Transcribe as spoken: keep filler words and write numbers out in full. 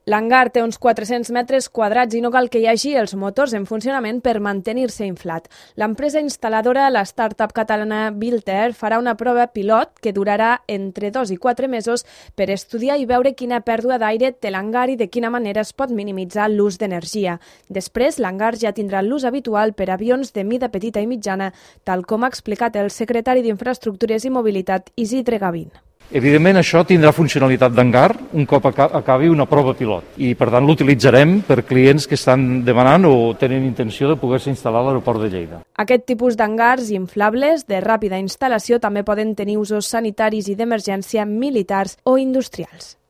L'hangar té uns quatre-cents metres quadrats i no cal que hi hagi els motors en funcionament per mantenir-se inflat. L'empresa instal·ladora, la startup catalana Built Air, farà una prova pilot que durarà entre dos i quatre mesos per estudiar i veure quina pèrdua d'aire té l'hangar i de quina manera es pot minimitzar l'ús d'energia. Després, l'hangar ja tindrà l'ús habitual per avions de mida petita i mitjana, tal com ha explicat el secretari d'Infraestructures i Mobilitat, Isidre Gavín. Evidentment, això tindrà funcionalitat d'hangar un cop acabi una prova pilot i, per tant, l'utilitzarem per clients que estan demanant o tenen intenció de poder-se instal·lar a l'aeroport de Lleida. Aquest tipus d'hangars inflables de ràpida instal·lació també poden tenir usos sanitaris i d'emergència militars o industrials.